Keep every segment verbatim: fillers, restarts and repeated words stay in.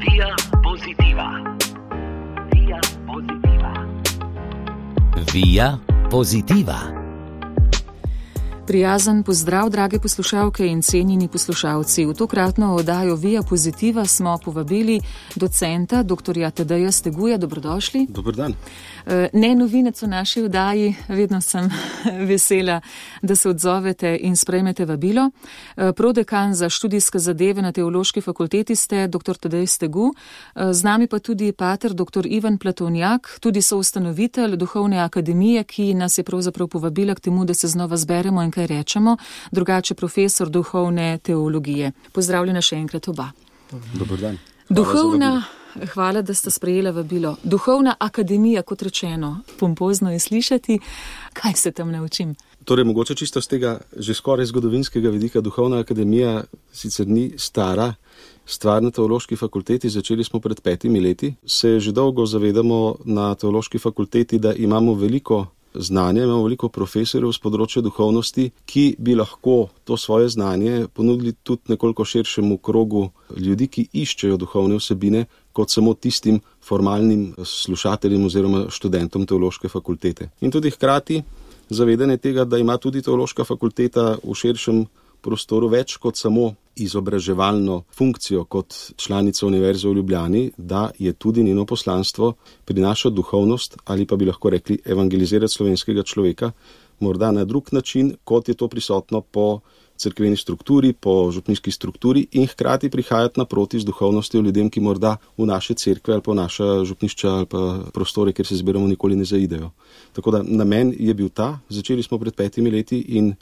Via Positiva. Via Positiva. Via Positiva. Prijazen pozdrav, drage poslušalke in cenjeni poslušalci. V tokratno oddajo Via Positiva smo povabili docenta doktorja Tadeja Steguja. Dobrodošli. Dober dan. Ne novinec v naši oddaji, vedno sem vesela, da se odzovete in sprejmete vabilo. Prodekan za študijske zadeve na Teološki fakulteti ste doktor Tadej Stegu, z nami pa tudi pater doktor Ivan Platovnjak, tudi soustanovitelj Duhovne akademije, ki nas je pravzaprav povabila k temu, da se znova zberemo in kaj rečemo, drugače profesor duhovne teologije. Pozdravljena še enkrat oba. Dober dan. Duhovna, hvala, da ste sprejela vabilo. Duhovna akademija, kot rečeno, pompozno je slišati. Kaj se tam naučim? Torej, mogoče čisto z tega že skoraj zgodovinskega vidika, Duhovna akademija sicer ni stara stvar na Teološki fakulteti, začeli smo pred petimi leti. Se že dolgo zavedamo na Teološki fakulteti, da imamo veliko znanje, imamo veliko profesorjev z področja duhovnosti, ki bi lahko to svoje znanje ponudili tudi nekoliko širšemu krogu ljudi, ki iščejo duhovne vsebine, kot samo tistim formalnim slušateljem oziroma študentom Teološke fakultete. In tudi hkrati zavedanje tega, da ima tudi Teološka fakulteta v širšem prostoru več kot samo izobraževalno funkcijo kot članica Univerze v Ljubljani, da je tudi njeno poslanstvo prinašati duhovnost ali pa bi lahko rekli evangelizirati slovenskega človeka, morda na drug način, kot je to prisotno po cerkveni strukturi, po župnijski strukturi in hkrati prihajati naproti z duhovnostjo ljudem, ki morda v naše cerkve ali pa v naša župnišča ali pa prostore, kjer se zbiramo, nikoli ne zaidejo. Tako da namen je bil ta, začeli smo pred petimi leti in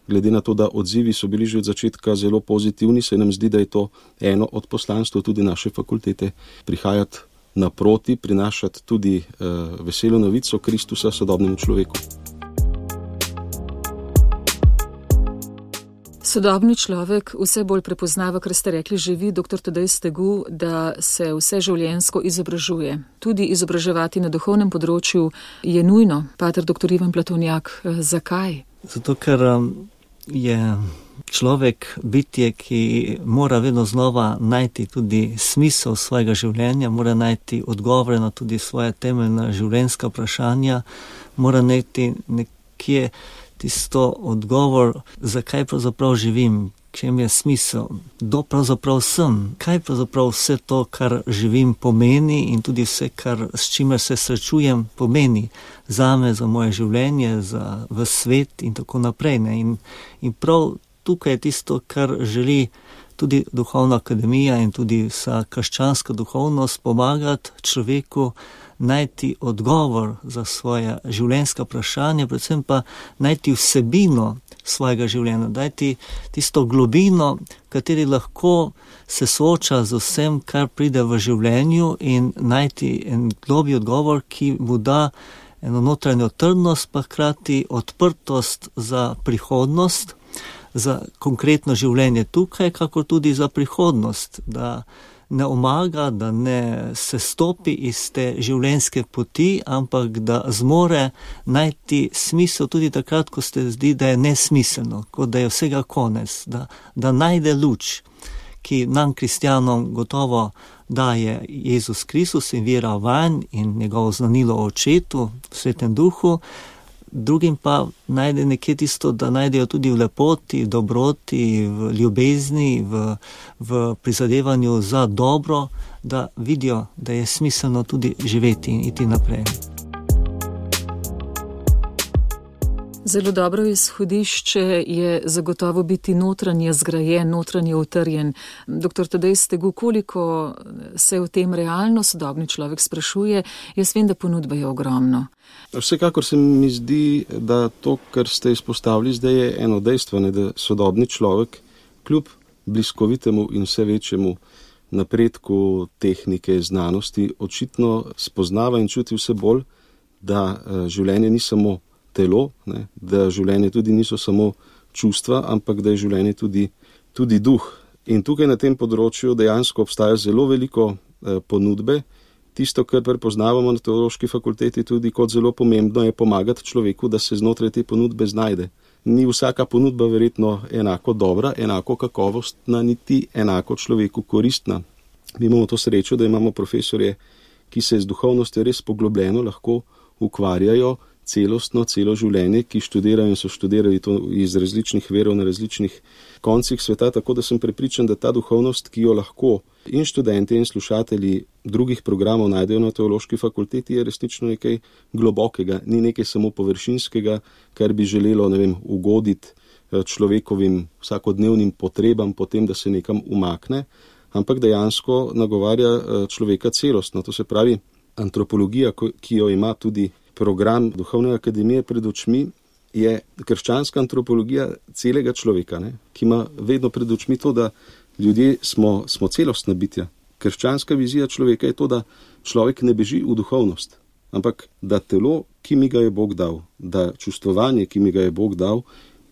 glede na to, da odzivi so bili že od začetka zelo pozitivni, se nam zdi, da je to eno od poslanstv tudi naše fakultete, prihajati naproti, prinašati tudi uh, veselo novico Kristusa sodobnemu človeku. Sodobni človek vse bolj prepoznava, kar ste rekli že vi, doktor Tadej Stegu, da se vse življenjsko izobražuje. Tudi izobraževati na duhovnem področju je nujno. Pater doktor Ivan Platovnjak, zakaj? Zato, ker je človek bitje, ki mora vedno znova najti tudi smisel svojega življenja, mora najti odgovore na tudi svoje temeljna življenjska vprašanja, mora najti nekje tisto odgovor, zakaj pravzaprav živim, čem je smisel, kdo pravzaprav sem, kaj pravzaprav vse to, kar živim, pomeni in tudi vse, kar, s čimer se srečujem, pomeni zame, za moje življenje, za v svet in tako naprej. Ne? In, in prav tukaj je tisto, kar želi tudi Duhovna akademija in tudi vsa krščanska duhovnost pomagati človeku najti odgovor za svoje življenjska vprašanja, predvsem pa najti vsebino svojega življenja, najti tisto globino, kateri lahko se sooča z vsem, kar pride v življenju in najti en globlji odgovor, ki mu da eno notranjo trdnost, pa hkrati odprtost za prihodnost, za konkretno življenje tukaj, kakor tudi za prihodnost, da ne omaga, da ne se stopi iz te življenjske poti, ampak da zmore najti smisel tudi takrat, ko se zdi, da je nesmiselno, kot da je vsega konec, da, da najde luč, ki nam kristjanom gotovo daje Jezus Kristus in vera vanj in njegovo znanilo o Očetu, v Svetem Duhu, drugim pa najde nekje tisto, da najdejo tudi v lepoti, dobroti, v ljubezni, v, v prizadevanju za dobro, da vidijo, da je smiselno tudi živeti in iti naprej. Zelo dobro izhodišče je zagotovo biti notranje zgrajen, notranje utrjen. Doktor Tadej Stegu, koliko se o tem realno sodobni človek sprašuje? Jaz vem, da ponudba je ogromno. Vsekakor se mi zdi, da to, kar ste izpostavili zdaj, je eno dejstvo, ne, da sodobni človek kljub bliskovitemu in vse večjemu napredku tehnike, znanosti, očitno spoznava in čuti vse bolj, da življenje ni samo telo, ne, da življenje tudi niso samo čustva, ampak da je življenje tudi, tudi duh. In tukaj na tem področju dejansko obstaja zelo veliko eh, ponudbe. Tisto, kar prepoznavamo na Teološki fakulteti tudi kot zelo pomembno, je pomagati človeku, da se znotraj te ponudbe znajde. Ni vsaka ponudba verjetno enako dobra, enako kakovostna, niti enako človeku koristna. Mi imamo to srečo, da imamo profesorje, ki se z duhovnostjo res poglobljeno lahko ukvarjajo celostno, celo življenje, ki študirajo in so študirali to iz različnih verov na različnih koncih sveta, tako da sem prepričan, da ta duhovnost, ki jo lahko in študenti in slušatelji drugih programov najdejo na teološki fakulteti, je resnično nekaj globokega, ni nekaj samo površinskega, kar bi želelo, ne vem, ugoditi človekovim vsakodnevnim potrebam potem, da se nekam umakne, ampak dejansko nagovarja človeka celostno. To se pravi, antropologija, ki jo ima tudi program Duhovne akademije pred očmi, je krščanska antropologija celega človeka, ne? Ki ima vedno pred očmi to, da ljudje smo, smo celostna bitja. Krščanska vizija človeka je to, da človek ne beži v duhovnost, ampak da telo, ki mi ga je Bog dal, da čustvovanje, ki mi ga je Bog dal,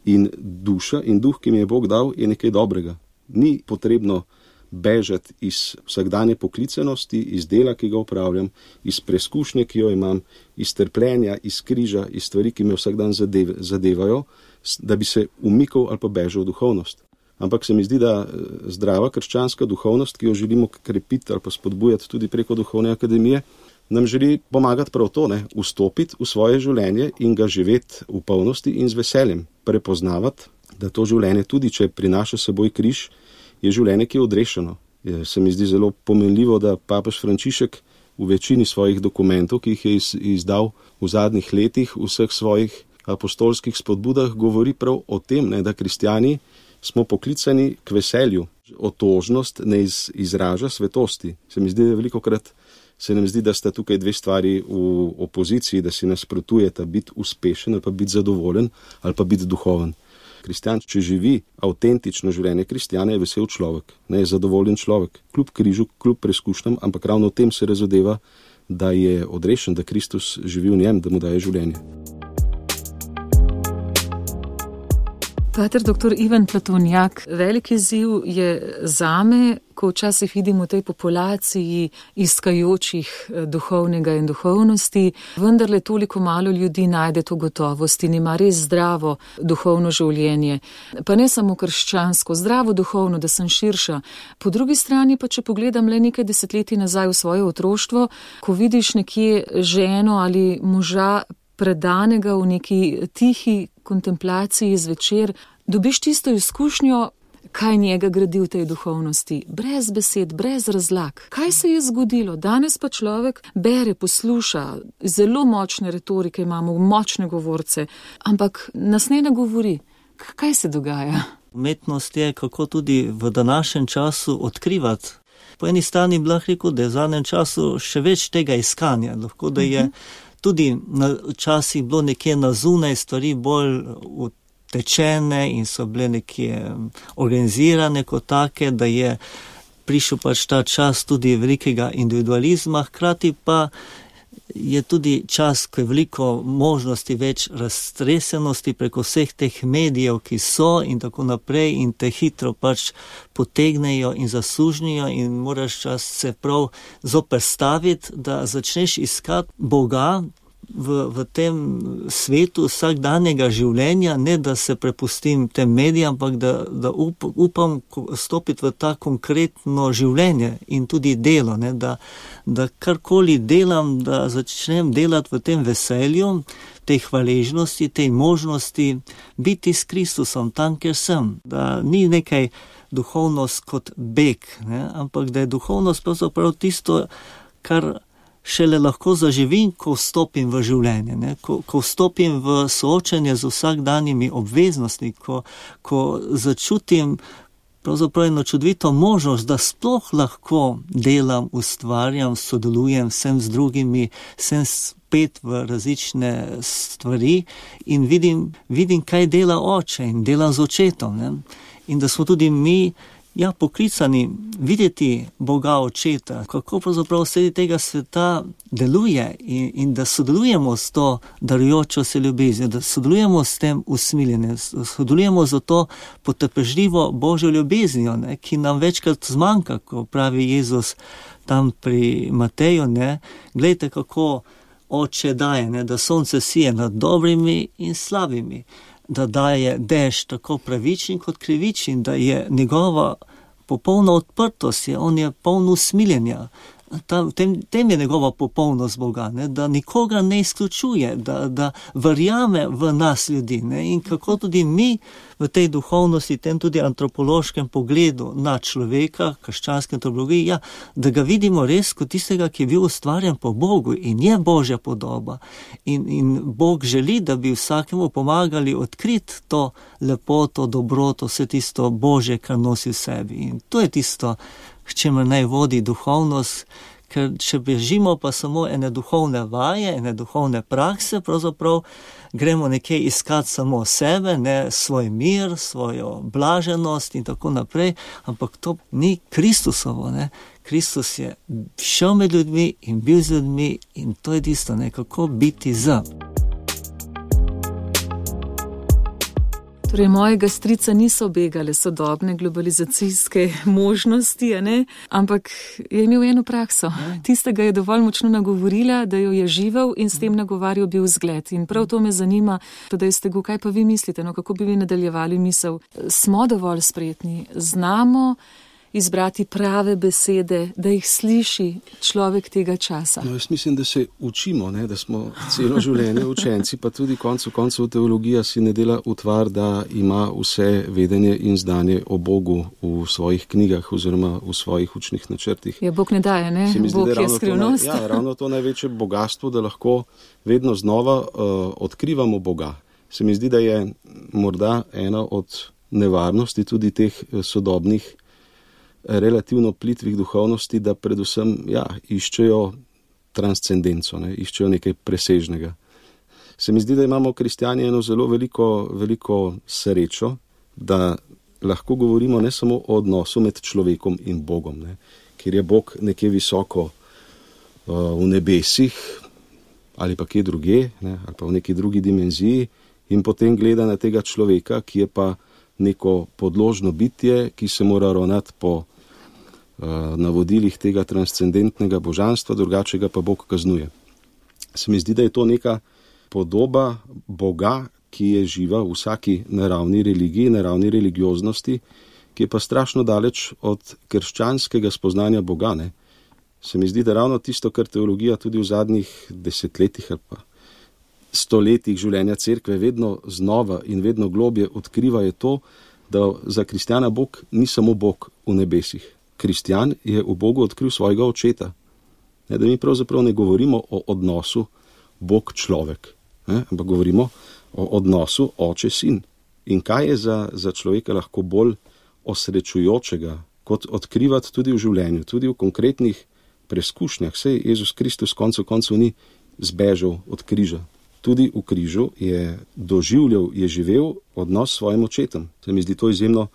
in duša in duh, ki mi je Bog dal, je nekaj dobrega. Ni potrebno bežati iz vsakdanje poklicenosti, iz dela, ki ga upravljam, iz preskušnje, ki jo imam, iz trpljenja, iz križa, iz stvari, ki me vsak dan zadev, zadevajo, da bi se umikal ali pa bežal v duhovnost. Ampak se mi zdi, da zdrava krščanska duhovnost, ki jo želimo krepiti ali pa spodbujati tudi preko Duhovne akademije, nam želi pomagati prav to, ne, vstopiti v svoje življenje in ga živeti v polnosti in z veseljem, prepoznavati, da to življenje, tudi če prinaša seboj križ, je življenje, ki je odrešeno. Je, se mi zdi zelo pomenljivo, da papež Frančišek v večini svojih dokumentov, ki jih je iz, izdal v zadnjih letih, v vseh svojih apostolskih spodbudah, govori prav o tem, ne, da kristjani smo poklicani k veselju. Otožnost ne iz, izraža svetosti. Se mi zdi, da velikokrat se nam zdi, da sta tukaj dve stvari v opoziciji, da si nasprotujeta biti uspešen ali pa biti zadovoljen ali pa biti duhoven. Kristjan, če živi avtentično življenje kristjana, je vesel človek, ne je zadovoljen človek, kljub križu, kljub preskušnjam, ampak ravno v tem se razodeva, da je odrešen, da Kristus živi v njem, da mu daje življenje. Pater doktor Ivan Platonjak, velik izziv je zame, ko včasih vidim v tej populaciji iskajočih duhovnega in duhovnosti, vendarle toliko malo ljudi najde to gotovost in ima res zdravo duhovno življenje. Pa ne samo krščansko, zdravo duhovno, da sem širša. Po drugi strani pa, če pogledam le nekaj desetletij nazaj v svoje otroštvo, ko vidiš nekje ženo ali moža predanega v neki tihi kontemplaciji zvečer, dobiš tisto izkušnjo, kaj njega gradi v tej duhovnosti, brez besed, brez razlag. Kaj se je zgodilo? Danes pa človek bere, posluša, zelo močne retorike imamo, močne govorce, ampak nas ne nagovori. Kaj se dogaja? Umetnost je, kako tudi v današnjem času odkrivati. Po eni strani bi lahko rekel, da je v zadnjem času še več tega iskanja, lahko da je tudi včasih bilo nekje na zunaj stvari bolj utečene in so bile nekje organizirane kot take, da je prišel pač ta čas tudi velikega individualizma, hkrati pa je tudi čas, ko je veliko možnosti, več raztresenosti preko vseh teh medijev, ki so in tako naprej in te hitro pač potegnejo in zasužnijo in moraš čas se prav zoperstaviti, da začneš iskati Boga v, v tem svetu vsakdanjega življenja, ne da se prepustim tem medijem, ampak da, da up, upam stopiti v ta konkretno življenje in tudi delo, ne, da, da karkoli delam, da začnem delati v tem veselju, tej hvaležnosti, tej možnosti biti s Kristusom tam, kjer sem. Da ni nekaj duhovnost kot beg, ne, ampak da je duhovnost pravzaprav tisto, kar šele lahko zaživim, ko vstopim v življenje, ne? Ko, ko vstopim v soočenje z vsakdanjimi obveznostmi, ko, ko začutim pravzaprav eno čudovito možnost, da sploh lahko delam, ustvarjam, sodelujem vsem z drugimi, sem spet v različne stvari in vidim, vidim kaj dela oče in delam z očetom, ne? In da smo tudi mi Ja, poklicani videti Boga očeta, kako pravzaprav sredi tega sveta deluje in, in da sodelujemo s to darujočo se ljubeznjo, da sodelujemo s tem usmiljenjem, sodelujemo z to potrpežljivo Božjo ljubeznijo, ne, ki nam večkrat zmanjka, ko pravi Jezus tam pri Mateju, ne, glejte, kako oče daje, ne, da sonce sije nad dobrimi in slabimi, da daje dež tako pravičen kot krivičen, da je njegova popolna odprtost je, on je poln usmiljenja. Ta, v tem, tem je njegova popolnost Boga, ne? Da nikoga ne izključuje, da, da verjame v nas ljudi, ne? In kako tudi mi v tej duhovnosti, tem tudi antropološkem pogledu na človeka, krščanske antropologiji, ja, da ga vidimo res kot tistega, ki je bil ustvarjen po Bogu in je Božja podoba. In, in Bog želi, da bi vsakemu pomagali odkriti to lepoto, dobroto, vse tisto Božje, kar nosi v sebi. In to je tisto, k čemer naj vodi duhovnost, ker če bežimo pa samo ene duhovne vaje, ene duhovne prakse, pravzaprav gremo nekje iskati samo sebe, ne svoj mir, svojo blaženost in tako naprej, ampak to ni Kristusovo, ne. Kristus je šel med ljudmi in bil z ljudmi in to je tisto, ne, kako biti z. Torej, mojega strica niso begale sodobne globalizacijske možnosti, a ne? Ampak je imel eno prakso. Tistega je dovolj močno nagovorila, da jo je živel in s tem nagovarjal bil vzgled. In prav to me zanima, da ste go, kaj pa vi mislite, no, kako bi vi nadaljevali misel. Smo dovolj spretni, znamo izbrati prave besede, da jih sliši človek tega časa. No, jaz mislim, da se učimo, ne, da smo celo življenje učenci, pa tudi koncu koncev teologija si ne dela utvar, da ima vse vedenje in znanje o Bogu v svojih knjigah oziroma v svojih učnih načrtih. Ja, Bog ne daje, ne? Zdi, Bog je skrivnost. To naj, ja, ravno to največje bogatstvo, da lahko vedno znova uh, odkrivamo Boga. Se mi zdi, da je morda ena od nevarnosti tudi teh sodobnih relativno plitvih duhovnosti, da predvsem ja, iščejo transcendenco, ne, iščejo nekaj presežnega. Se mi zdi, da imamo kristjani eno zelo veliko, veliko srečo, da lahko govorimo ne samo o odnosu med človekom in Bogom, ne, kjer je Bog nekje visoko uh, v nebesih ali pa kje druge, ne, ali pa v neki drugi dimenziji in potem gleda na tega človeka, ki je pa neko podložno bitje, ki se mora ravnati po navodilih tega transcendentnega božanstva, drugače ga pa Bog kaznuje. Se mi zdi, da je to neka podoba Boga, ki je živa v vsaki naravni religiji, naravni religioznosti, ki je pa strašno daleč od krščanskega spoznanja Boga, ne. Se mi zdi, da ravno tisto, kar teologija tudi v zadnjih desetletjih ali pa stoletjih življenja cerkve vedno znova in vedno globje odkriva, je to, da za kristjana Bog ni samo Bog v nebesih. Kristjan je v Bogu odkril svojega očeta. Ne, da mi pravzaprav ne govorimo o odnosu Bog-človek, ne, ampak govorimo o odnosu oče-sin. In kaj je za, za človeka lahko bolj osrečujočega, kot odkrivati tudi v življenju, tudi v konkretnih preskušnjah. Sej Jezus Kristus koncu koncev ni zbežal od križa. Tudi v križu je doživljal, je živel odnos s svojim očetom. Se mi zdi to izjemno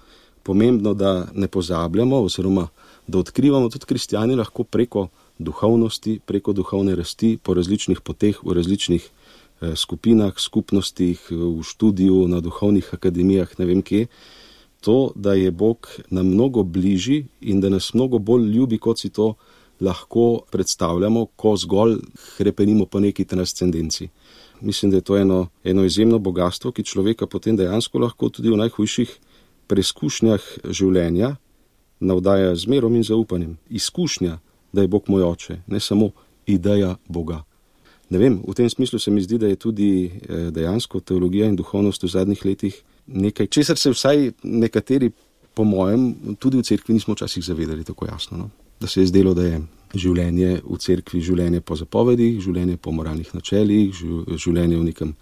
pomembno, da ne pozabljamo oziroma da odkrivamo tudi kristjani lahko preko duhovnosti, preko duhovne rasti po različnih poteh, v različnih eh, skupinah, skupnostih, v študiju, na duhovnih akademijah, ne vem kje, to, da je Bog nam mnogo bližji in da nas mnogo bolj ljubi, kot si to lahko predstavljamo, ko zgolj hrepenimo po neki transcendenci. Mislim, da je to eno, eno izjemno bogatstvo, ki človeka potem dejansko lahko tudi v najhujših preskušnjah življenja navdaja z mirom in zaupanjem. Izkušnja, da je Bog moj oče, ne samo ideja Boga. Ne vem, v tem smislu se mi zdi, da je tudi dejansko teologija in duhovnost v zadnjih letih nekaj, česar se vsaj nekateri, po mojem, tudi v cerkvi nismo včasih zavedali tako jasno. No? Da se je zdelo, da je življenje v cerkvi življenje po zapovedih, življenje po moralnih načelih, življenje v nekem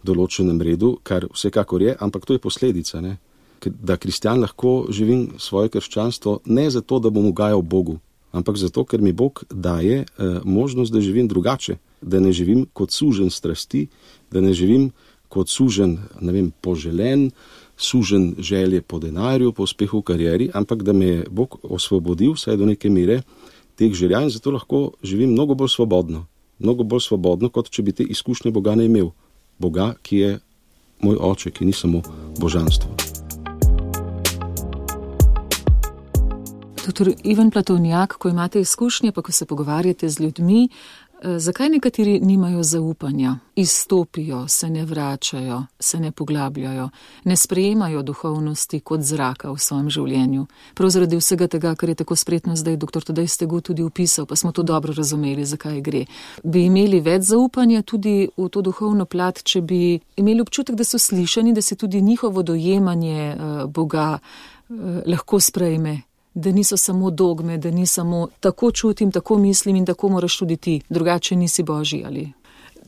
določenem redu, kar vsekakor je, ampak to je posledica, ne? Da kristjan lahko živim svoje krščanstvo ne zato, da bom ugajal Bogu, ampak zato, ker mi Bog daje eh, možnost, da živim drugače, da ne živim kot sužen strasti, da ne živim kot sužen, ne vem, poželen, sužen želje po denarju, po uspehu v karieri, ampak da me je Bog osvobodil vsaj do neke mere teh želja in zato lahko živim mnogo bolj svobodno, mnogo bolj svobodno, kot če bi te izkušnje Boga ne imel. Boga, ki je moj oče, ki ni samo božanstvo. Doktor Ivan Platovnjak, ko imate izkušnje, pa ko se pogovarjate z ljudmi, Zakaj nekateri nimajo zaupanja, izstopijo, se ne vračajo, se ne poglabljajo, ne sprejemajo duhovnosti kot zraka v svojem življenju? Prav zaradi vsega tega, kar je tako spretno zdaj doktor Tadej Stegu tudi opisal, pa smo to dobro razumeli, zakaj gre. Bi imeli več zaupanja tudi v to duhovno plat, če bi imeli občutek, da so slišani, da se tudi njihovo dojemanje uh, Boga uh, lahko sprejme? Da niso samo dogme, da ni samo tako čutim, tako mislim in tako moraš tudi ti, drugače nisi Božji ali.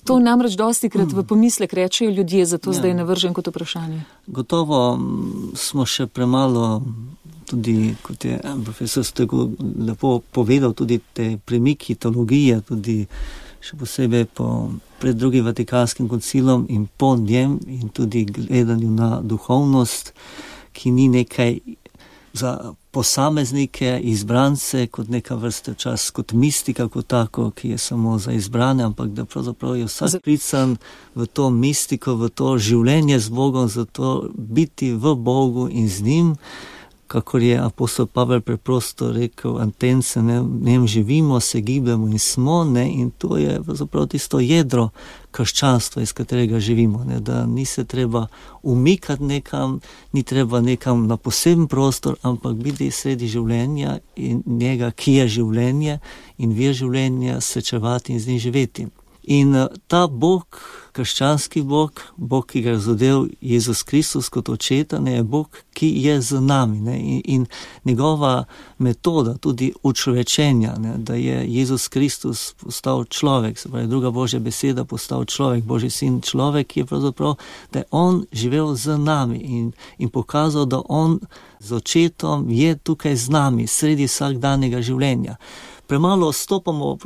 To namreč dostikrat v pomislek rečejo ljudje, zato ja. Zdaj navržem kot vprašanje. Gotovo smo še premalo, tudi kot je profesor Stegu lepo povedal, tudi te premiki teologije, tudi še posebej po pred drugim Vatikanskim koncilom in po njem in tudi gledanju na duhovnost, ki ni nekaj za posameznike, izbrance, kot neka vrsta čas, kot mistika, kot tako, ki je samo za izbrane, ampak da pravzaprav je vsak klican v to mistiko, v to življenje z Bogom, zato biti v Bogu in z njim, kakor je apostol Pavel preprosto rekel, antence, ne, njem živimo, se gibljamo in smo, ne, in to je pravzaprav tisto jedro krščanstva, iz katerega živimo, ne, da ni se treba umikati nekam, ni treba nekam na poseben prostor, ampak biti sredi življenja in njega, ki je življenje in vir življenja, srečevati in z njim živeti. In ta Bog, krščanski Bog, Bog, ki ga je razodel Jezus Kristus kot očeta, ne, je Bog, ki je z nami. Ne, in, in njegova metoda tudi učlovečenja, ne, da je Jezus Kristus postal človek, se pravi druga Božja beseda, postal človek, Božji sin človek, je pravzaprav, da je on živel z nami in, in pokazal, da on z očetom je tukaj z nami, sredi vsakdanjega življenja. Premalo stopamo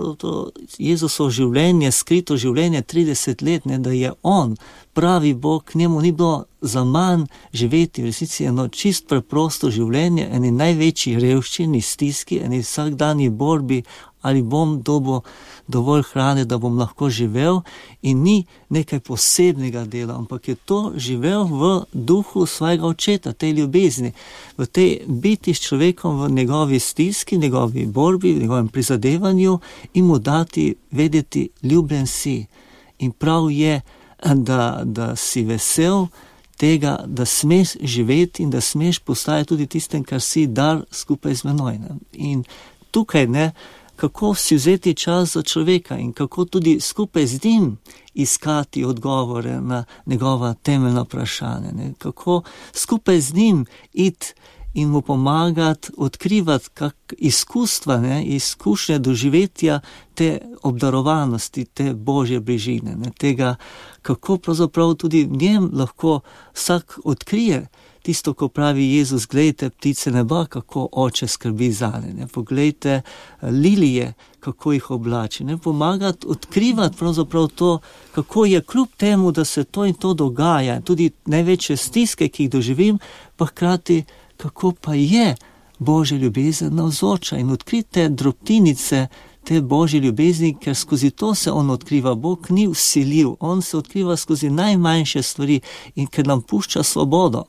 Jezusovo življenje, skrito življenje trideset let, ne, da je on pravi Bog, njemu ni bilo za manj živeti v resnici eno čist preprosto življenje, eni največji revščini, stiski, eni vsakdanji borbi, ali bom dobil dovolj hrane, da bom lahko živel, in ni nekaj posebnega dela, ampak je to živel v duhu svojega očeta, tej ljubezni, v tej biti s človekom v njegovi stiski, njegovi borbi, v njegovem prizadevanju in mu dati vedeti, ljubljen si. In prav je, da, da si vesel tega, da smeš živeti in da smeš postajati tudi tistem, kar si, dar skupaj z menoj. Ne? In tukaj, ne, kako si vzeti čas za človeka in kako tudi skupaj z njim iskati odgovore na njegova temeljna vprašanja. Ne? Kako skupaj z njim iti in mu pomagati odkrivati kak izkustva, ne? Izkušnje doživetja te obdarovanosti, te Božje bližine, ne? Tega, kako pravzaprav tudi v njem lahko vsak odkrije tisto, ko pravi Jezus, glejte ptice neba, kako oče skrbi zanje, ne, poglejte lilije, kako jih oblači, ne, pomagati odkrivati pravzaprav to, kako je kljub temu, da se to in to dogaja, tudi največje stiske, ki jih doživim, pa hkrati, kako pa je Božja ljubezen navzoča in odkrite drobtinice te Božje ljubezni, ker skozi to se on odkriva. Bog ni vsiljiv, on se odkriva skozi najmanjše stvari in ker nam pušča svobodo.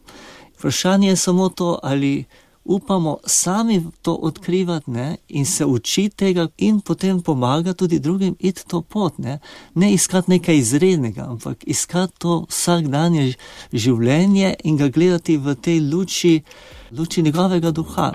Vprašanje je samo to, ali upamo sami to odkrivati, ne, in se učiti tega in potem pomagati tudi drugim iti to pot. Ne, ne iskati nekaj izrednega, ampak iskati to vsakdanje življenje in ga gledati v tej luči, luči njegovega duha.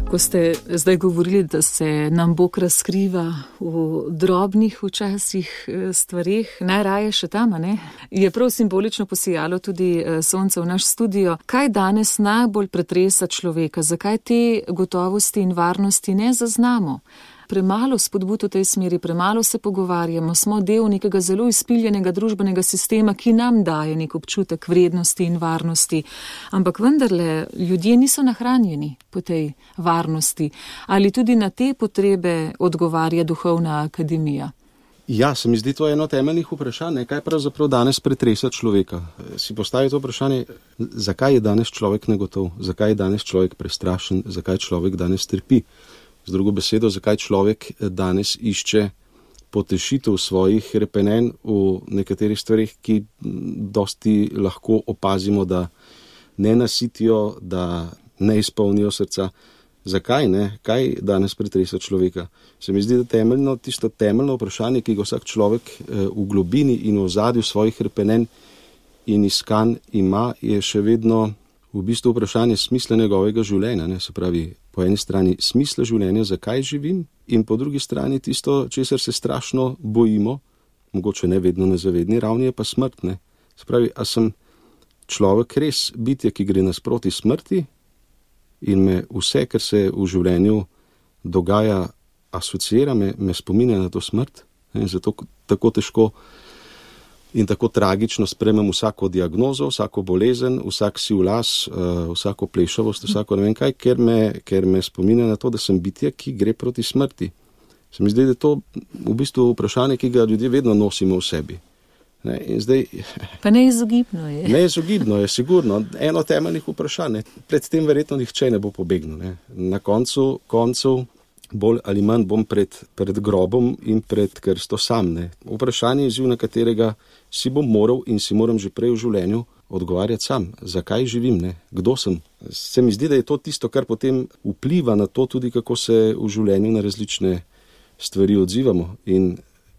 Ko ste zdaj govorili, da se nam Bog razkriva v drobnih včasih stvarih, najraje še tam, ne? Je prav simbolično posijalo tudi sonce v naš studio. Kaj danes najbolj pretresa človeka? Zakaj te gotovosti in varnosti ne zaznamo? Premalo spodbud v tej smeri, premalo se pogovarjamo, smo del nekega zelo izpiljenega družbenega sistema, ki nam daje nek občutek vrednosti in varnosti. Ampak vendarle, ljudje niso nahranjeni po tej varnosti. Ali tudi na te potrebe odgovarja duhovna akademija? Ja, se mi zdi to eno temeljnih vprašanj, kaj pravzaprav danes pretresa človeka. Si postavi to vprašanje, zakaj je danes človek negotov, zakaj je danes človek prestrašen, zakaj človek danes trpi. Z drugo besedo, zakaj človek danes išče potešitev svojih repenenj v nekaterih stvarih, ki dosti lahko opazimo, da ne nasitijo, da ne izpolnijo srca. zakaj ne, kaj danes pretresa človeka. Se mi zdi, da temeljno, tisto temeljno vprašanje, ki ga vsak človek v globini in v ozadju svojih hrepenenj in iskanj ima, je še vedno v bistvu vprašanje smisla njegovega življenja. Ne? Se pravi, po eni strani smisla življenja, zakaj živim, in po drugi strani tisto, česar se strašno bojimo, mogoče ne vedno na zavedni ravni, je pa smrt. Ne? Se pravi, a sem človek res bitje, ki gre nasproti smrti in me vse, kar se v življenju dogaja, asociira, me, me spominja na to smrt. In zato tako težko in tako tragično sprejmem vsako diagnozo, vsako bolezen, vsak siv las, vsako plešavost, vsako ne vem kaj, ker me, ker me spominja na to, da sem bitje, ki gre proti smrti. Se mi zdi, da je to v bistvu vprašanje, ki ga ljudje vedno nosimo v sebi. Ne, in zdaj, pa neizogibno je. Neizogibno je, sigurno. Eno temeljnih vprašanj. Pred tem verjetno nihče ne bo pobegnil. Ne. Na koncu, koncu bolj ali manj bom pred, pred grobom in pred krsto sam. Ne. Vprašanje je izziv, na katerega si bom moral in si moram že prej v življenju odgovarjati sam. Zakaj živim? Ne. Kdo sem? Se mi zdi, da je to tisto, kar potem vpliva na to tudi, kako se v življenju na različne stvari odzivamo. In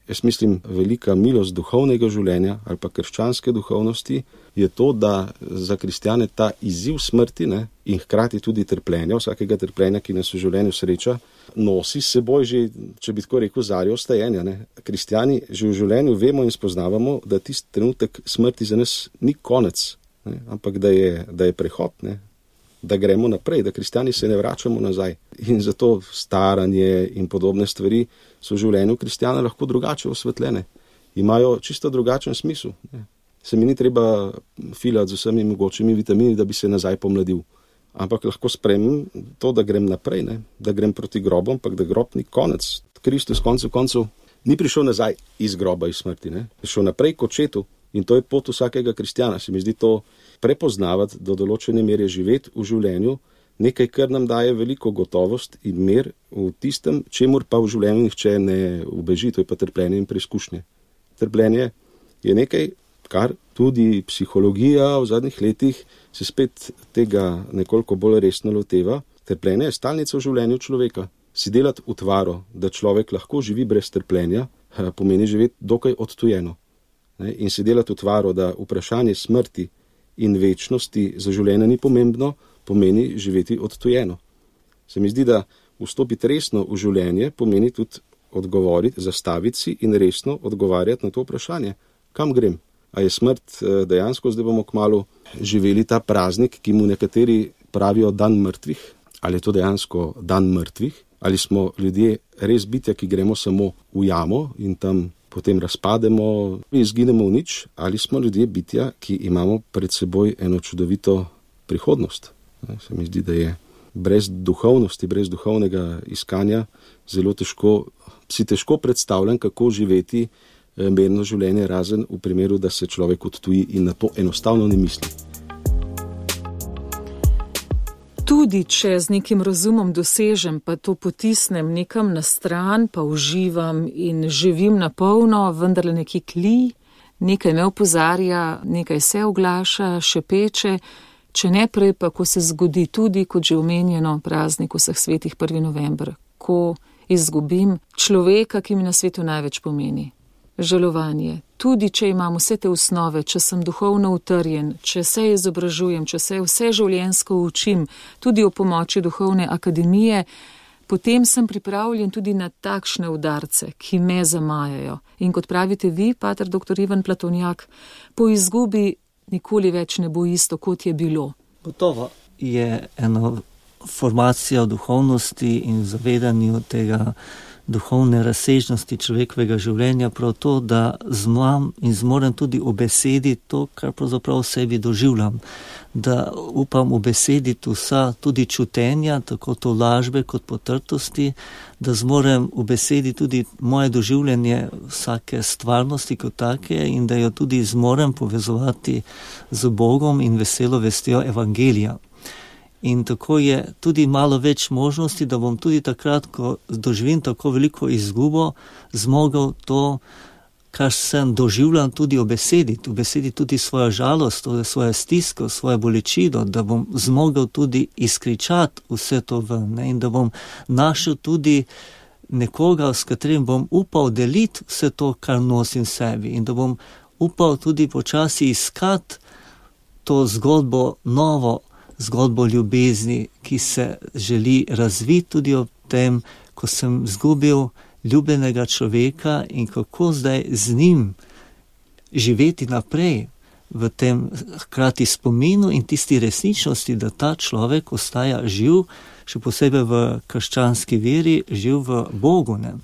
jaz mislim, velika milost duhovnega življenja ali pa krščanske duhovnosti je to, da za kristjane ta izziv smrti, ne, in hkrati tudi trpljenja, vsakega trpljenja, ki nas v življenju sreča, nosi s seboj že, če bi tako rekel, zarjo ostajenja. Ne. Kristjani že v življenju vemo in spoznavamo, da tisti trenutek smrti za nas ni konec, ne, ampak da je, da je prehod, ne, da gremo naprej, da kristjani se ne vračamo nazaj. In zato staranje in podobne stvari so v življenju kristjana lahko drugače osvetljene. Imajo čisto drugačen smisel. Ne. Se mi ni treba filati z vsemi mogočimi vitamini, da bi se nazaj pomladil. Ampak lahko spremem to, da grem naprej, ne. Da grem proti grobu, ampak da grob ni konec. Kristus koncev koncev ni prišel nazaj iz groba, iz smrti. Ne. Prišel naprej k očetu in to je pot vsakega kristjana. Se mi zdi to prepoznavati, do določene mere živeti v življenju, nekaj, kar nam daje veliko gotovost in mir v tistem, čemur pa v življenju nihče ne ubeži, to je pa trpljenje in preizkušnje. Trpljenje je nekaj, kar tudi psihologija v zadnjih letih se spet tega nekoliko bolj resno loteva. Trpljenje je stalnica v življenju človeka. Si delati utvaro, da človek lahko živi brez trpljenja, pomeni živeti dokaj odtujeno. In si delati utvaro, da vprašanje smrti in večnosti za življenje ni pomembno, pomeni živeti odtujeno. Se mi zdi, da vstopiti resno v življenje pomeni tudi odgovoriti, zastaviti si in resno odgovarjati na to vprašanje. Kam grem? A je smrt dejansko, zdaj bomo kmalu živeli ta praznik, ki mu nekateri pravijo dan mrtvih? Ali je to dejansko dan mrtvih? Ali smo ljudje res bitja, ki gremo samo v jamo in tam potem razpademo in izginemo v nič, ali smo ljudje bitja, ki imamo pred seboj eno čudovito prihodnost. Se mi zdi, da je brez duhovnosti, brez duhovnega iskanja zelo težko, si težko predstavljam, kako živeti mirno življenje, razen v primeru, da se človek odtuji in na to enostavno ne misli. Tudi če z nekim razumom dosežem, pa to potisnem nekam na stran, pa uživam in živim na polno, vendarle nekaj kli, nekaj me opozarja, nekaj se oglaša, šepeče, če ne prej pa, ko se zgodi tudi, kot že omenjeno, praznik vseh svetih prvi november, ko izgubim človeka, ki mi na svetu največ pomeni. Žalovanje. Tudi, če imam vse te osnove, če sem duhovno utrjen, če se izobražujem, če se vse življenjsko učim, tudi o pomoči duhovne akademije, potem sem pripravljen tudi na takšne udarce, ki me zamajajo. In kot pravite vi, pater doktor Ivan Platonjak, po izgubi nikoli več ne bo isto, kot je bilo. Gotovo je ena formacija v duhovnosti in zavedanju tega duhovne razsežnosti človekovega življenja, prav to, da znam in zmorem tudi ubesediti to, kar pravzaprav v sebi doživljam. Da upam ubesediti vsa tudi čutenja, tako to lažbe kot potrtosti, da zmorem ubesediti tudi moje doživljanje vsake stvarnosti kot take in da jo tudi zmorem povezovati z Bogom in veselo vestjo evangelija. In tako je tudi malo več možnosti, da bom tudi takrat, ko doživim tako veliko izgubo, zmogel to kar sem doživljal tudi v besedi, v besedi tudi svojo žalost, svojo stisko, svojo bolečino, da bom zmogel tudi izkričati vse to ven, ne? In da bom našel tudi nekoga, s katerim bom upal deliti vse to, kar nosim sebi, in da bom upal tudi počasi iskati to zgodbo, novo zgodbo ljubezni, ki se želi razviti tudi ob tem, ko sem izgubil ljubljenega človeka in kako zdaj z njim živeti naprej v tem hkrati spominu in tisti resničnosti, da ta človek ostaja živ, še posebej v krščanski veri, živ v Bogu, ne?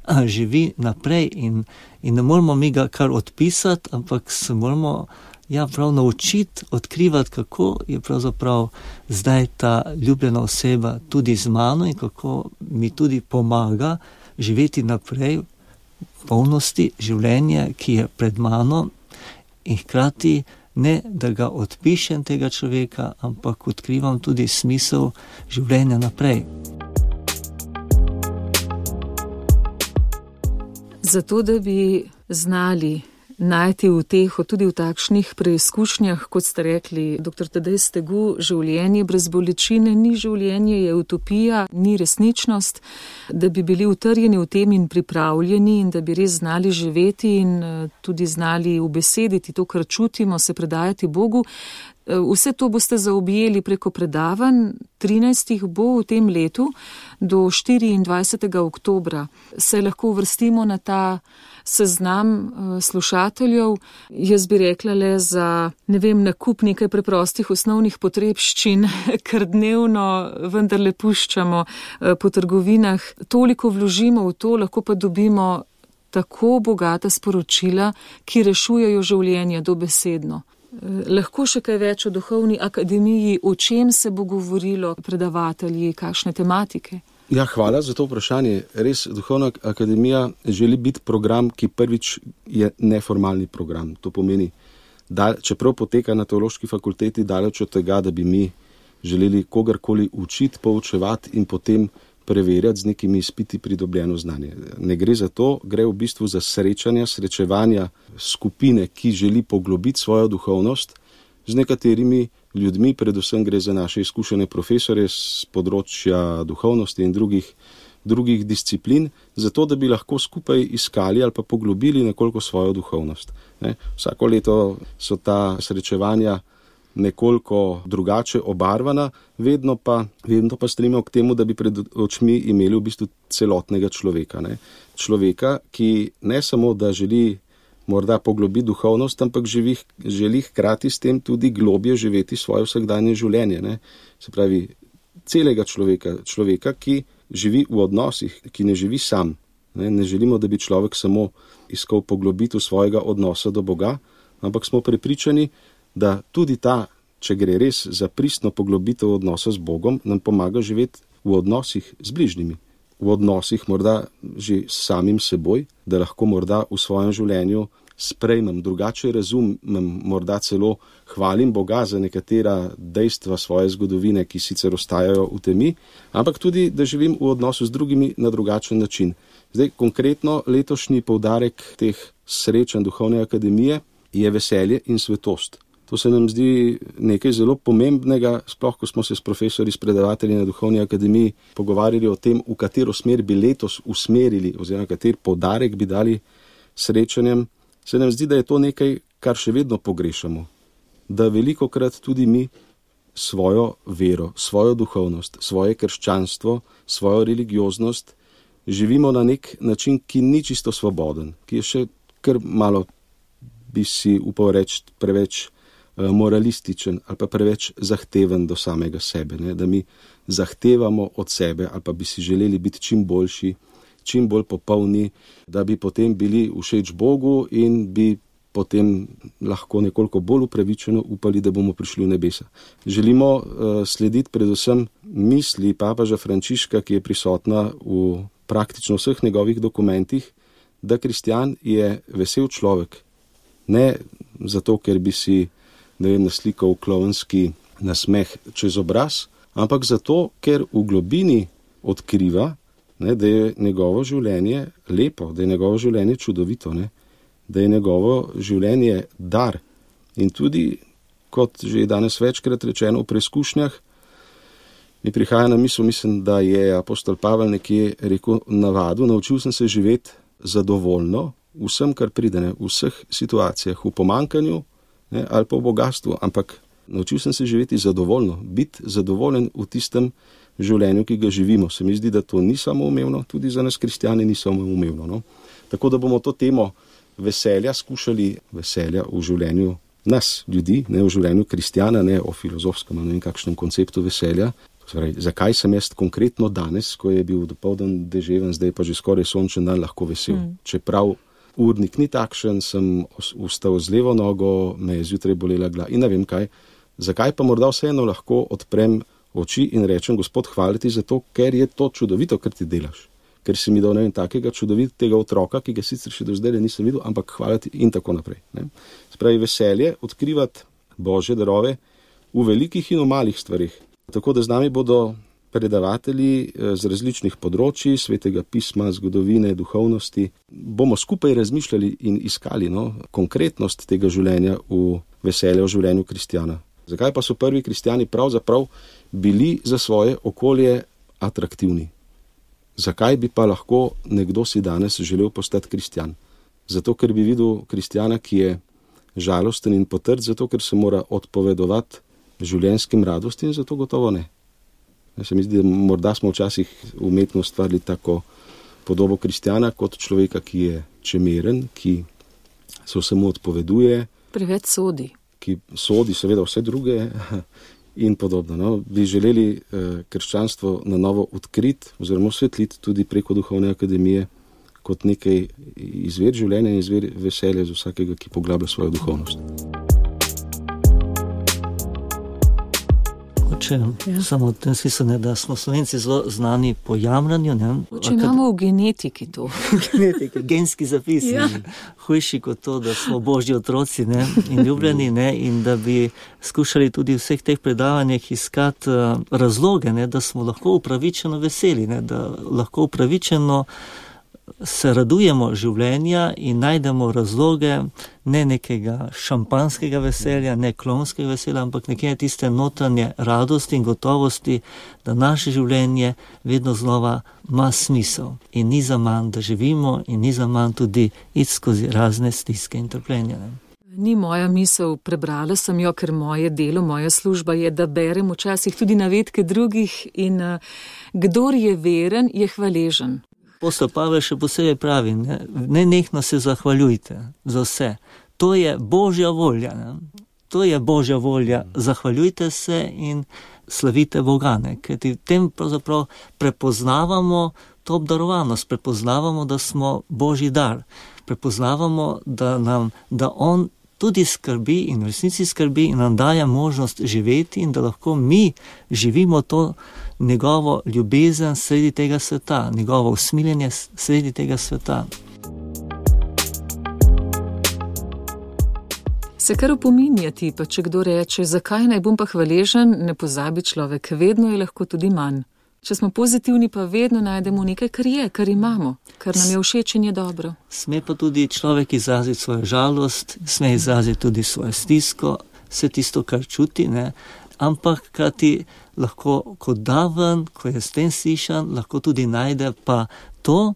Živi naprej in, in ne moramo mi ga kar odpisati, ampak se moramo ja, prav naučiti, odkrivati, kako je pravzaprav zdaj ta ljubljena oseba tudi z mano in kako mi tudi pomaga živeti naprej v polnosti življenja, ki je pred mano, in hkrati ne, da ga odpišem tega človeka, ampak odkrivam tudi smisel življenja naprej. Zato, da bi znali najti uteho tudi v takšnih preizkušnjah, kot ste rekli, doktor Tadej Stegu, življenje brez bolečine ni življenje, je utopija, ni resničnost, da bi bili utrjeni v tem in pripravljeni in da bi res znali živeti in tudi znali ubesediti to, kar čutimo, se predajati Bogu. Vse to boste zaobjeli preko predavanj, trinajstih bo v tem letu do štiriindvajsetega oktobra. Se lahko uvrstimo na ta seznam slušateljev. Jaz bi rekla le za, ne vem, nakup nekaj preprostih osnovnih potrebščin, kar dnevno vendarle puščamo po trgovinah. Toliko vložimo v to, lahko pa dobimo tako bogata sporočila, ki rešujejo življenje dobesedno. Lahko še kaj več o duhovni akademiji, o čem se bo govorilo, predavatelji, kakšne tematike? Ja, hvala za to vprašanje. Res, duhovna akademija želi biti program, ki prvič je neformalni program. To pomeni, da čeprav poteka na teološki fakulteti daleč od tega, da bi mi želeli kogarkoli učiti, poučevati in potem preverjati z nekimi izpiti pridobljeno znanje. Ne gre za to, gre v bistvu za srečanja, srečevanja skupine, ki želi poglobiti svojo duhovnost z nekaterimi ljudmi, predvsem gre za naše izkušene profesore z področja duhovnosti in drugih, drugih disciplin, zato da bi lahko skupaj iskali ali pa poglobili nekoliko svojo duhovnost. Ne? Vsako leto so ta srečevanja nekoliko drugače obarvana, vedno pa, vedno pa stremimo k temu, da bi pred očmi imeli v bistvu celotnega človeka. Ne? Človeka, ki ne samo, da želi morda poglobiti duhovnost, ampak živi, želi hkrati s tem tudi globje živeti svoje vsakdanje življenje. Ne? Se pravi, celega človeka, človeka, ki živi v odnosih, ki ne živi sam. Ne, ne želimo, da bi človek samo iskal poglobitev svojega odnosa do Boga, ampak smo prepričani, da tudi ta, če gre res za pristno poglobitev odnosa z Bogom, nam pomaga živeti v odnosih z bližnjimi. V odnosih morda že s samim seboj, da lahko morda v svojem življenju sprejmem, drugače razumem, morda celo hvalim Boga za nekatera dejstva svoje zgodovine, ki sicer ostajajo v temi, ampak tudi, da živim v odnosu z drugimi na drugačen način. Zdaj, konkretno letošnji poudarek teh srečanj duhovne akademije je veselje in svetost. To se nam zdi nekaj zelo pomembnega, sploh ko smo se s profesori, s predavatelji na duhovni akademiji pogovarjali o tem, v katero smer bi letos usmerili oziroma kater poudarek bi dali srečanjem. Se nam zdi, da je to nekaj, kar še vedno pogrešamo. Da velikokrat tudi mi svojo vero, svojo duhovnost, svoje krščanstvo, svojo religioznost živimo na nek način, ki ni čisto svoboden, ki je še kar malo, bi si upal reči, preveč moralističen ali pa preveč zahteven do samega sebe, ne? Da mi zahtevamo od sebe ali pa bi si želeli biti čim boljši, čim bolj popolni, da bi potem bili všeč Bogu in bi potem lahko nekoliko bolj upravičeno upali, da bomo prišli v nebesa. Želimo uh, slediti predvsem misli papeža Frančiška, ki je prisotna v praktično vseh njegovih dokumentih, da kristjan je vesel človek. Ne zato, ker bi si ne vem, naslikal klovnski nasmeh čez obraz, ampak zato, ker v globini odkriva, ne, da je njegovo življenje lepo, da je njegovo življenje čudovito. Ne. da je njegovo življenje dar. In tudi, kot že danes večkrat rečeno v preizkušnjah, mi prihaja na misel, mislim, da je apostol Pavel nekje rekel navadu, naučil sem se živeti zadovoljno vsem, kar pride, ne, v vseh situacijah, v pomankanju, ne, ali pa v bogatstvu, ampak naučil sem se živeti zadovoljno, biti zadovoljen v tistem življenju, ki ga živimo. Se mi zdi, da to ni samoumevno, tudi za nas kristjani ni samoumevno. No? Tako da bomo to temo veselja skušali, veselja v življenju nas, ljudi, ne v življenju kristjana, ne o filozofskem, ne vem kakšnem konceptu veselja. Zdaj, zakaj sem jaz konkretno danes, ko je bil dopoldan deževen, zdaj pa že skoraj sončen dan, lahko vesel. Mm. Čeprav urnik ni takšen, sem vstal z levo nogo, me je zjutraj bolela glava in ne vem kaj. Zakaj pa morda vseeno lahko odprem oči in rečem, Gospod, hvala ti za to, ker je to čudovito, kar ti delaš. Ker si mi dal ne vem takega čudovitega otroka, ki ga sicer še do zdaj nisem videl, ampak hvala ti in tako naprej. Ne? Spravi veselje odkrivati Božje darove v velikih in v malih stvarih. Tako da z nami bodo predavatelji z različnih področji, svetega pisma, zgodovine, duhovnosti. Bomo skupaj razmišljali in iskali no, konkretnost tega življenja v veselje v življenju kristjana. Zakaj pa so prvi kristjani pravzaprav bili za svoje okolje atraktivni? Zakaj bi pa lahko nekdo si danes želel postati kristjan? Zato, ker bi videl kristjana, ki je žalosten in potrd, zato, ker se mora odpovedovati življenjskim radostim, zato gotovo ne. Ja, se mi zdi, da morda smo včasih umetno ustvarili tako podobo kristjana kot človeka, ki je čemeren, ki se vsemu odpoveduje. Preveč sodi. Ki sodi seveda vse druge in podobno. No. Bi želeli eh, krščanstvo na novo odkriti oziroma osvetliti tudi preko Duhovne akademije kot nekaj izvir življenja in izvir veselja za vsakega, ki poglablja svojo duhovnost. Če, ja. Samo v tem smislu, ne, da smo Slovenci zelo znani po jamranju. Ne, Če imamo v genetiki to. Genetiki, genski zapis. Ja. Hujši kot to, da smo Božji otroci ne, in ljubljeni ne, in da bi skušali tudi v vseh teh predavanjih iskati uh, razloge, ne, da smo lahko upravičeno veseli, ne, da lahko upravičeno se radujemo življenja in najdemo razloge ne nekega šampanskega veselja, ne klonskega veselja, ampak nekje tiste notranje radosti in gotovosti, da naše življenje vedno znova ima smisel in ni za manj, da živimo in ni za manj tudi iti skozi razne stiske in trpljenja. Ne. Ni moja misel, prebrala sem jo, ker moje delo, moja služba je, da berem včasih tudi navedke drugih in uh, kdor je veren, je hvaležen. Apostol Pavel še posebej pravi, ne, ne nehno se zahvaljujte za vse. To je Božja volja. Ne. To je Božja volja. Zahvaljujte se in slavite Boga. Ne. Ker v tem pravzaprav prepoznavamo to obdarovanost, prepoznavamo, da smo Božji dar. Prepoznavamo, da, nam, da On tudi skrbi in v resnici skrbi in nam daje možnost živeti in da lahko mi živimo to njegovo ljubezen sredi tega sveta, njegovo usmiljenje sredi tega sveta. Se kar opominjati, pa če kdo reče, zakaj naj bom pa hvaležen, ne pozabi človek, vedno je lahko tudi manj. Če smo pozitivni, pa vedno najdemo nekaj, kar je, kar imamo, kar nam je všeč in je dobro. Sme pa tudi človek izraziti svojo žalost, sme izraziti tudi svojo stisko, vse tisto, kar čuti, ne? Ampak krati lahko kot daven, ko je s tem slišan, lahko tudi najde pa to,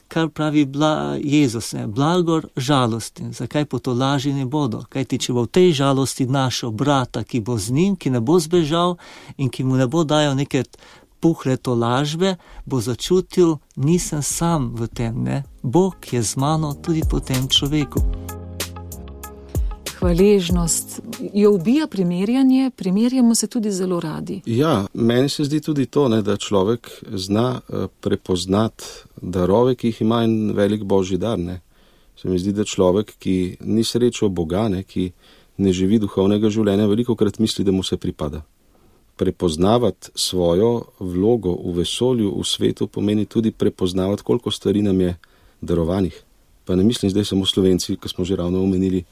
kar pravi bla, Jezus, ne? Blagor žalosti. Zakaj po to laži ne bodo? Kajti, če bo v tej žalosti našel brata, ki bo z njim, ki ne bo zbežal in ki mu ne bo dajal neke puhle tolažbe, bo začutil, nisem sam v tem, ne? Bog je z mano tudi po tem človeku. Hvaležnost jo ubija primerjanje, primerjamo se tudi zelo radi. Ja, meni se zdi tudi to, ne, da človek zna prepoznati darove, ki jih ima in velik Božji dar. Ne. Se mi zdi, da človek, ki ni srečal Boga, ne, ki ne živi duhovnega življenja, velikokrat misli, da mu se pripada. Prepoznavati svojo vlogo v vesolju, v svetu, pomeni tudi prepoznavati, koliko stvari nam je darovanih. Pa ne mislim zdaj samo Slovenci, ko smo že ravno omenili,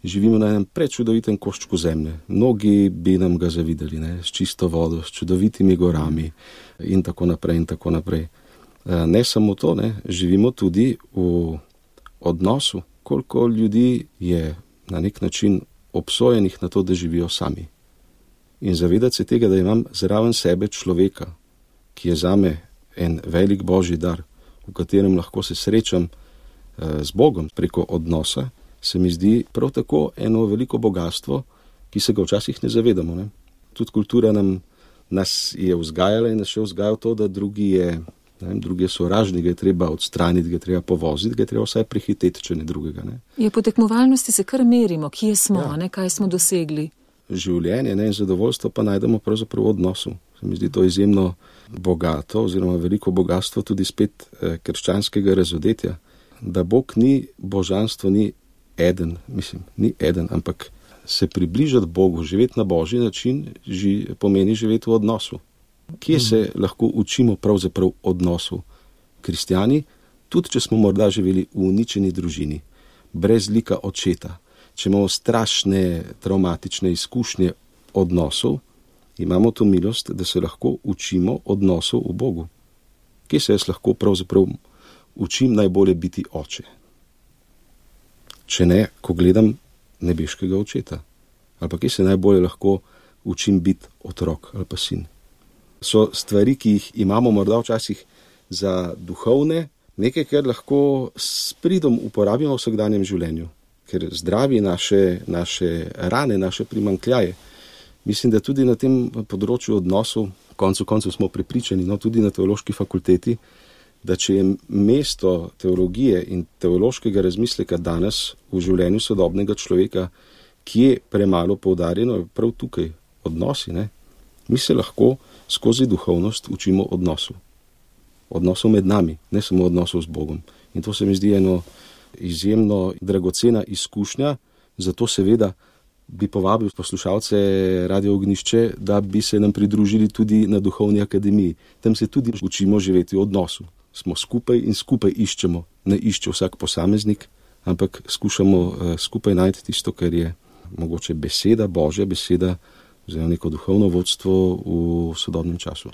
živimo na enem prečudovitem koščku zemlje. Mnogi bi nam ga zavideli, ne, s čisto vodo, s čudovitimi gorami in tako naprej in tako naprej. Ne samo to, ne, živimo tudi v odnosu koliko ljudi je na nek način obsojenih na to, da živijo sami. In zavedati se tega, da imam zraven sebe človeka, ki je zame en velik božji dar, v katerem lahko se srečam z Bogom preko odnosa, se mi zdi prav tako eno veliko bogatstvo, ki se ga včasih ne zavedamo. Ne? Tudi kultura nam, nas je vzgajala in nas še vzgaja to, da drugi je, ne vem, drugi je sovražnik, ga je treba odstraniti, ga je treba povoziti, ga je treba vsaj prehiteti, če ne drugega. Ne? Je po tekmovalnosti se kar merimo, kje smo, ja. ne, kaj smo dosegli. Življenje ne, in zadovoljstvo pa najdemo pravzaprav v odnosu. Se mi zdi to izjemno bogato oziroma veliko bogatstvo tudi spet eh, krščanskega razodetja, da Bog ni, božanstvo ni eden, mislim, ni eden, ampak se približati Bogu, živeti na božji način, ži, pomeni živeti v odnosu. Kje se lahko učimo pravzaprav odnosu? Kristjani, tudi če smo morda živeli v uničeni družini, brez lika očeta, če imamo strašne traumatične izkušnje odnosov, imamo to milost, da se lahko učimo odnosov v Bogu. Kje se jaz lahko pravzaprav učim najbolje biti oče? Če ne, ko gledam nebeškega očeta. Ali pa kje se najbolje lahko učim biti otrok ali pa sin. So stvari, ki jih imamo morda včasih za duhovne, nekaj, kar lahko s pridom uporabimo v vsakdanjem življenju, ker zdravi naše, naše rane, naše primanjkljaje. Mislim, da tudi na tem področju odnosov, koncu koncev smo prepričani, no tudi na teološki fakulteti, da če je mesto teologije in teološkega razmisleka danes v življenju sodobnega človeka, ki je premalo poudarjeno, je prav tukaj odnosi. Ne? Mi se lahko skozi duhovnost učimo odnosu. Odnosov med nami, ne samo odnosov z Bogom. In to se mi zdi eno izjemno dragocena izkušnja, zato seveda bi povabil poslušalce Radio Ognjišče, da bi se nam pridružili tudi na Duhovni akademiji. Tam se tudi učimo živeti v odnosu. Smo skupaj in skupaj iščemo. Ne išče vsak posameznik, ampak skušamo uh, skupaj najti tisto, kar je mogoče beseda, Božja beseda, oziroma neko duhovno vodstvo v sodobnem času.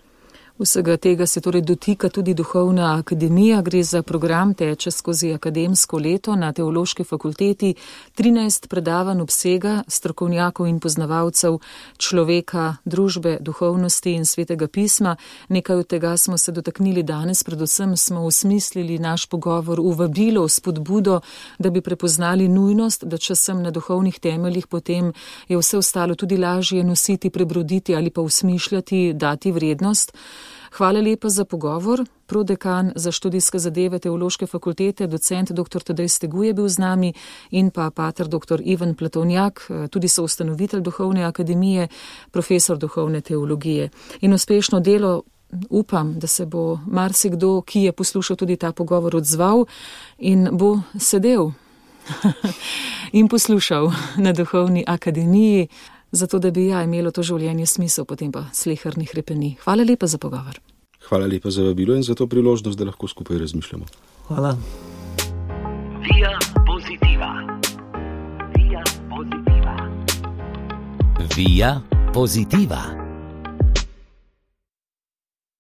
Vsega tega se torej dotika tudi Duhovna akademija, gre za program, teče skozi akademsko leto na Teološki fakulteti, trinajst predavanj obsega strokovnjakov in poznavalcev človeka, družbe, duhovnosti in svetega pisma. Nekaj od tega smo se dotaknili danes, predvsem smo usmislili naš pogovor v vabilo, v spodbudo, da bi prepoznali nujnost, da če sem na duhovnih temeljih, potem je vse ostalo tudi lažje nositi, prebroditi ali pa usmišljati, dati vrednost. Hvala lepa za pogovor. Prodekan za študijske zadeve Teološke fakultete, docent dr. Tadej Steguj je bil z nami in pa pater dr. Ivan Platovnjak, tudi soustanovitelj Duhovne akademije, profesor duhovne teologije. In uspešno delo, upam, da se bo marsikdo, ki je poslušal tudi ta pogovor, odzval in bo sedel in poslušal na Duhovni akademiji, zato da bi ja imelo to življenje smisel, potem pa sleherni hrepeni. Hvala lepa za pogovor. Hvala lepa za vabilo in za to priložnost, da lahko skupaj razmišljamo. Hvala. Via Positiva. Via Positiva. Via Positiva.